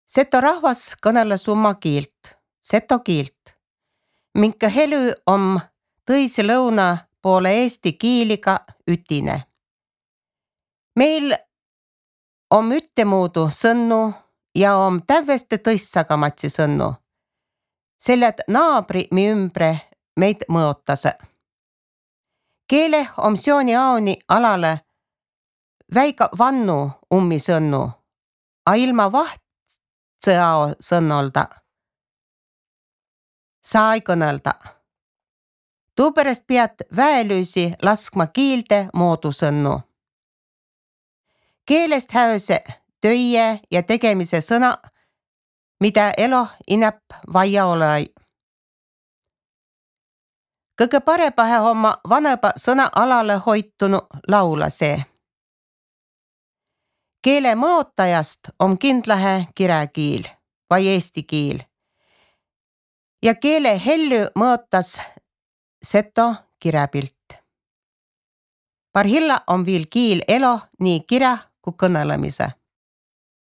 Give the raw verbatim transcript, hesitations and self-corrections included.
Seto rahvas kõneles oma kiilt, seto kiilt, minkä helü om tõisi lõuna poole eesti kiiliga ütine. Meil om üttemuudu sõnnu ja om tävveste tõissagamatsi sõnnu, selle et naabri mi ümbre meid mõotase. Keele om sjooni aoni alale väiga vannu ummi sõnnu, a ilma vahtsõ ao sõnnolda saa ei kõnelda. Tuupärast piät väelüüsi laskma kiilde moodu sõnnu. Keelest häöse töie ja tegemise sõna, mida elo inäp vaia olõi. Kõige parepahe homma vanõba sõna alale hoitunu laula see. Keele mõotajast om kindlahe kiräkiil vai eesti kiil. Ja keele hellü mõotas seto kiräpilt. Parhilla on viil kiil elo nii kirä kui kõnelemise.